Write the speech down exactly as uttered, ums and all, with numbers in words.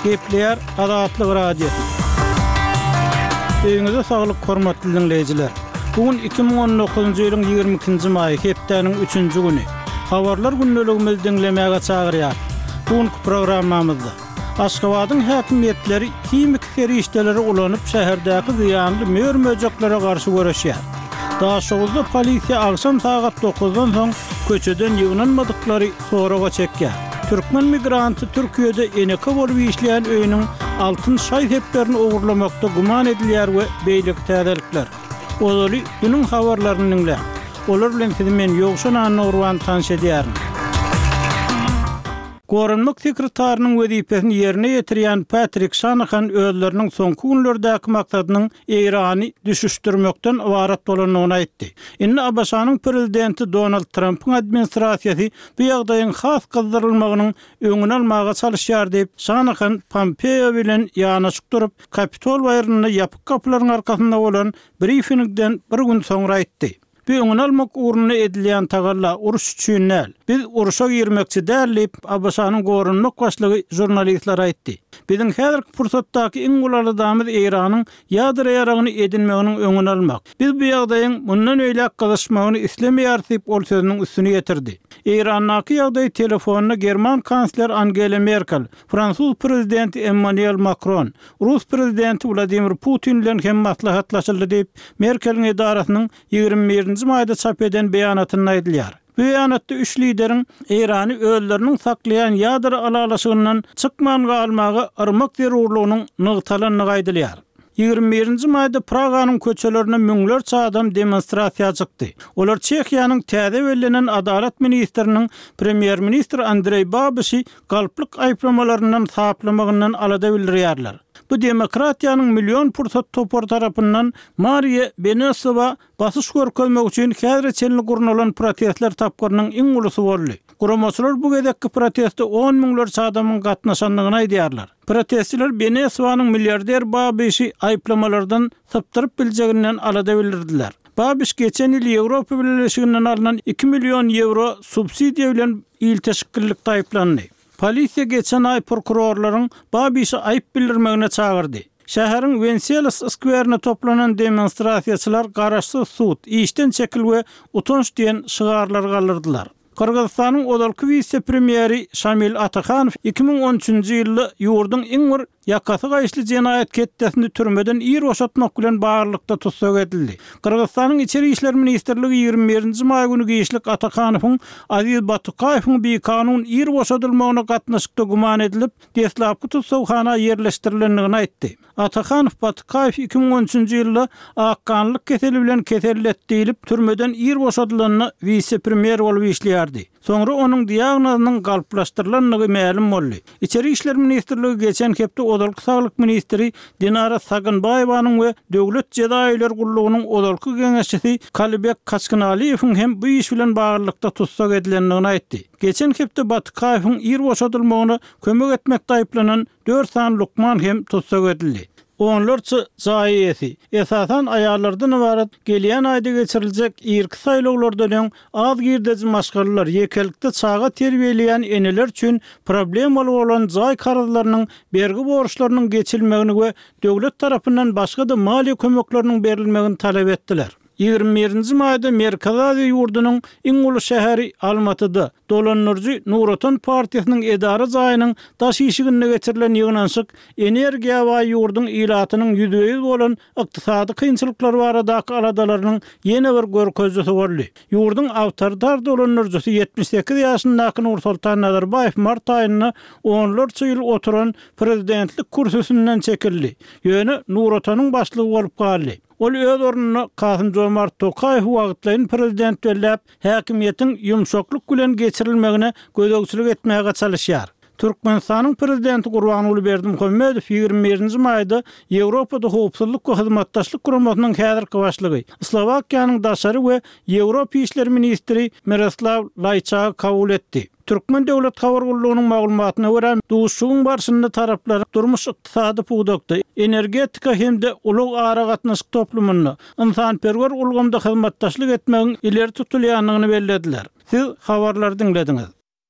Gepleýär Azatlyk Radiosy. Öýüňize saglyk hormatly diňleýjiler. Bu gün iki müň on dokuzynjy ýylyň ýigrimi ikinji maýy, hepdäniň üçünji güni. Habarlar gündeligimizi diňlemäge çagyrýar. Bu günki programmamyzda Aşgabadyň häkimiýetleri himiki serişdeleri ulanyp şäherdäki zyýanly mör-möjeklere garşy göreşýär. Daşoguzda polisiýa agşam sagat dokuzdan soň köçeden ýygnanmadyklary soraga çekýär. Türkmen migranty Türkiýede eneke bolup işleýän öýüniň altyn şaý-seplerini ogurlamakda güman edilýär we beýleki täzelikler. Ozaly günüň habarlaryny diňläň. Olar bilen sizi men Ýowşan Annagurban tanyş edýärin. Goranmak sekretarynyň wezipesini ýerine ýetirýän Patrik Şanahan özleriniň soňky günlerdäki maksadynyň Eýrany düşüşdirmekden ybarat bolandygyny aýtdy. Indi A B Ş-nyň prezidenti Donald Trampyň administrasiýasy bu ýagdaýyň has gyzdyrylmagynyň öňüni almaga çalyşýar diýip, Şanahan Pompeo bilen ýanaşyk durup, Kapitol baýrynda ýapyk kapylaryň arkasynda bolan briefingden bir gün soňra aýtdy. Bu öňüni almak ugrunda edilýän tagalla uruş üçin däl. Biz uruşa girmekçi däl diýip, A B Ş-nyň goranmak başlygy žurnalistler aýtdy. Biziň häzirki pursatdaky iň uly aladamyz Eýranyň ýadro ýaragyny edinmeginiň öňüni almak. Biz bu ýagdaýyň mundan öýläk gyzyşmagyny islemeýäris diýip, ol sözüniň üstüni ýetirdi. Eýrandaky ýagdaý telefonda German kansler Angela Merkel, Fransuz prezidenti Emmanuel Macron, Rus prezidenti Wladimir Putin bilen hem maslahatlaşyldy diýip, Merkeliň edarasynyň ýigrimi birinji maýda çap eden beýanatynda aýdylýar. Bu beýanatda üç lideriň Eýrany özleriniň saklaýan ýadro ylalaşygyndan çykman galmaga yrmak zerurlygynyň nygtalandygy aýdylýar. Ýigrimi birinji maýda Praganyň köçelerine müňlerçe adam demonstrasiýa çykdy. Olar Çehiýanyň täze bellenen adalat ministriniň premýer-ministr Andreý Babişi galplyk aýyplamalaryndan saplamagyndan alada bildirýärler. Bu demokratiýanyň million pursat topar tarapyndan Mariýa Benesowa basyş görkezmek üçin häzire çenli gurnalan protestler tapgyrynyň iň ulusy boldy. Guramaçylar bu gezekki proteste on müňlerçe adamyň gatnaşandygyny aýdýarlar. Protestçiler Benesowanyň milliarder Babişi aýyplamalardan sypdyryp biljeginden alada bildirdiler. Babiş geçen ýyl Ýewropa Bileleşiginden alynan iki million ýewro subsidiýa bilen ilteşiklilik aýyplandy. Polisiýa geçen aý prokurorlaryň Babişi aýyp bildirmegine çagyrdy. Şäheriň Wenselis skwerine toplanan demonstrasiýaçylar garaşsyz sud, işden çekil we utanç diýen şygarlar galdyrdylar. Gyrgyzystanyň ozalky wise-premýeri Şamil Atahanow iki müň on üçünji ýylda ýurduň iň bir ýakasy gaýyşly jenaýat ketdesini türmeden ir boşatmak bilen baglylykda tussag edildi. Gyrgyzystanyň Içeri işler ministrligi ýigrimi birinji maý güni giçlik Atahanowyň Aziz Batukaýewiň bikanun ir boşadylmagyna gatnaşykda güman edilip, deslapky tussaghana ýerleşdirilendigini aýtdy. Atahanow Batukaýew iki müň on üçünji ýylda akganlyk keseli bilen kesellet diýilip, türmeden ir boşadylanda wise-premýer bolup işleýärdi. Soňra onuň diagnozynyň galplaşdyrylandygy mälim boldy. Içeri işler ministrligi geçen hepde ozalky saglyk ministri Dinara Sagynbaýewanyň we Döwlet jeza öýleri gullugynyň ozalky geňeşçisi Kalybek Kaçkynaliýewiň hem bu iş bilen baglylykda tussag edilendigini aýtdy. Geçen hepde Batukaýewiň ir boşadylmagyna kömek etmekde aýyplanan dört sany lukman hem tussag edildi. Onlarça jaý eýesi, esasan aýallardan ybarat gelýän aýda geçiriljek irki saýlawlardan öň az girdeji maşgalalar, ýekelikde çaga terbiýeleýän eneler üçin problemaly bolan jaý karzlarynyň bergi borçlarynyň geçilmegini we döwlet tarapyndan başga-da maliýe kömekleriniň berilmegini talap etdiler. Ýigrimi birinji maýda Merkezi Aziýa ýurdunyň iň uly şäheri Almatyda dolandyryjy Nur Otan partiýasynyň edara jaýynyň daş işiginde geçirilen ýygnanyşyk energiýa baý ýurduň ilatynyň ýüzbe-ýüz bolan ykdysady kynçylyklar baradaky aladalarynyň ýene bir görkezijisi boldy. Ýurduň awtoritar dolandyryjysy ýetmiş sekiz ýaşyndaky Nursultan Nazarbaýew mart aýynda onlarça ýyl oturan prezidentlik kürsüsinden çekildi. Ýöne Nur Otanyň başlygy bolup galdy. Ol öz ornuna Kasym Jomart Tokaýew wagtlaýyn prezident belläp, häkimiýetiň ýumşaklyk bilen geçirilmegine gözegçilik etmäge çalyşýar. Türkmenistanyň prezidenti Gurbanguly Berdimuhamedow ýigrimi birinji maýda Ýewropada howpsuzlyk we hyzmatdaşlyk guramasynyň häzirki başlygy, Slowakiýanyň daşary we Ýewropa işleri ministri Miroslaw Laýçagy kabul etdi. Türkmen döwlet habar gullugynyň maglumatyna görä, duşuşygyň barşynda taraplar durmuş-ykdysady pudakda, energetika hem-de ulag aragatnaşyk toplumynda, ynsanperwer ulgamda hyzmatdaşlyk etmegiň ileri tutulýandygyny bellediler. Siz habarlary diňlediňiz.